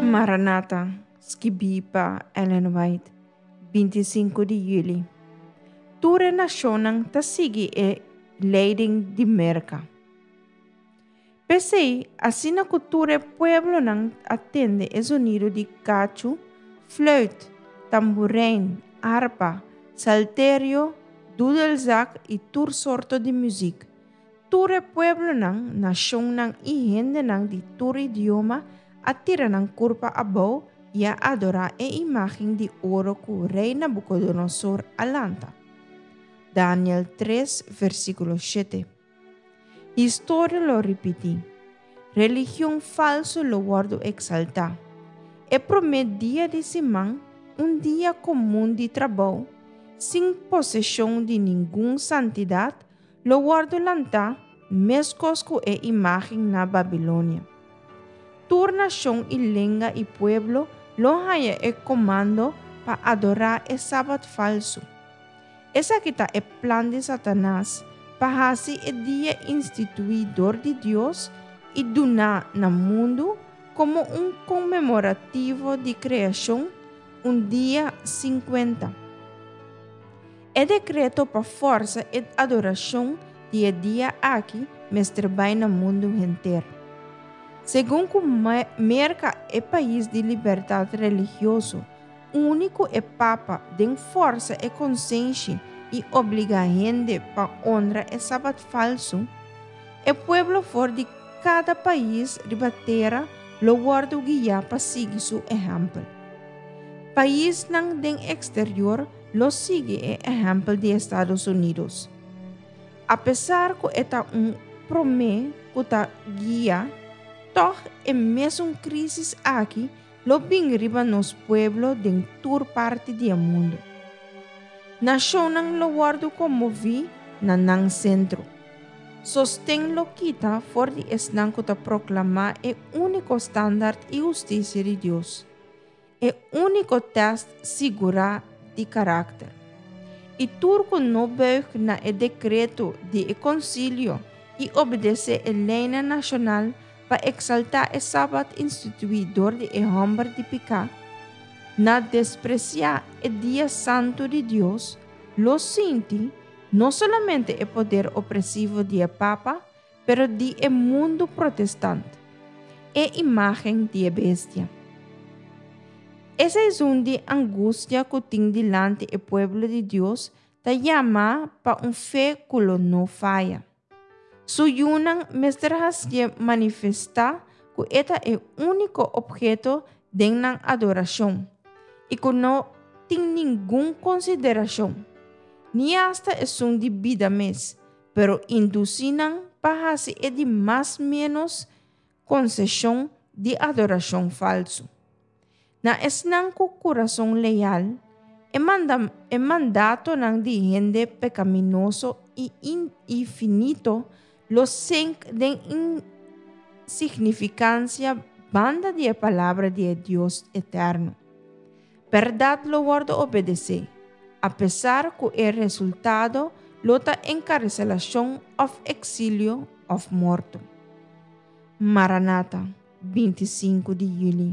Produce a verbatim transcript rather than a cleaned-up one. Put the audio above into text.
Maranata, skibí pa Ellen White, binti sinku di yüli. Tur e nashonnan ta sigui e leiding di Merka. P'esei, asina ku tur e pueblonan a tende e zonido di kachu, flùit, tamburein, arpa, salterio, dudelzak i tur sorto di muzik, tur e pueblonan, nashonnan i hendenan di tur idioma a tira nan kurpa abou i a adorá e imágen di oro ku rei Nabukodonosor a lanta. Daniel tres, versíkulo shete. Historia lo ripití. Religion falsu lo wòrdu eksaltá. E promé dia di siman, un dia komun di trabou, sin poseshon di ningun santidat, lo wòrdu lantá meskos ku e imágen na Babilonia. Tur nashon i lenga i pueblo lo haña e komando pa adorá e sabat falsu. Esaki ta e plan di Satanas pa hasi e dia instituí dor di Dios i duná na mundu komo un konmemorativo di kreashon, un dia sin kuenta. E dekreto pa forsa e adorashon di e dia aki mester bai na mundu henter. Segun ku Merka e pais di libertat religioso, úniko e Papa den forsa e konsenshi i obligá hende pa honra e sabat falsu, e pueblo for di kada pais riba tera lo wòrdu guiá pa sigui su ehèmpel. Paisnan den eksterior lo sigui e ehèmpel di Estados Unidos. Apesar ku e ta un promé ku ta guia, tòg e mesun krísis aki lo bin riba nos pueblo den tur parti di e mundu. Nashonnan lo wòrdu konmoví na nan sentro. Sosten lo kita for di esnan ku ta proklamá e úniko standart i hustisia di Dios, e úniko tèst sigurá di karakter. I tur ku no bùig na e dekreto di e konsilio i obedesé e leinan nashonal pa eksaltá e sabat instituí dor di e hòmber di piká, na despresiá e dia santu di Dios, lo sinti no solamente e poder opresivo di e papa, pero di e mundu protestant, e imágen di e bestia. E season di angustia ku tin dilanti e pueblo di Dios ta yama pa un fe ku lo no faya. Su yunan mester hasié manifestá ku e ta e úniko opheto den nan adorashon i ku no tin ningun konsiderashon, ni asta esun di bida mes, pero indusí nan pa hasi e di mas ménos konseshon di adorashon falsu. Na esnan ku kurason leal, e manda, e mandatonan di hende pekaminoso i infinito lo senk den insignifikansia banda di e palabra di e Dios eterno. Bèrdat lo wòrdu obedesé, apesar ku e resultado lo ta enkarselashon òf eksilio òf morto. Maranata, binti sinku di yüli.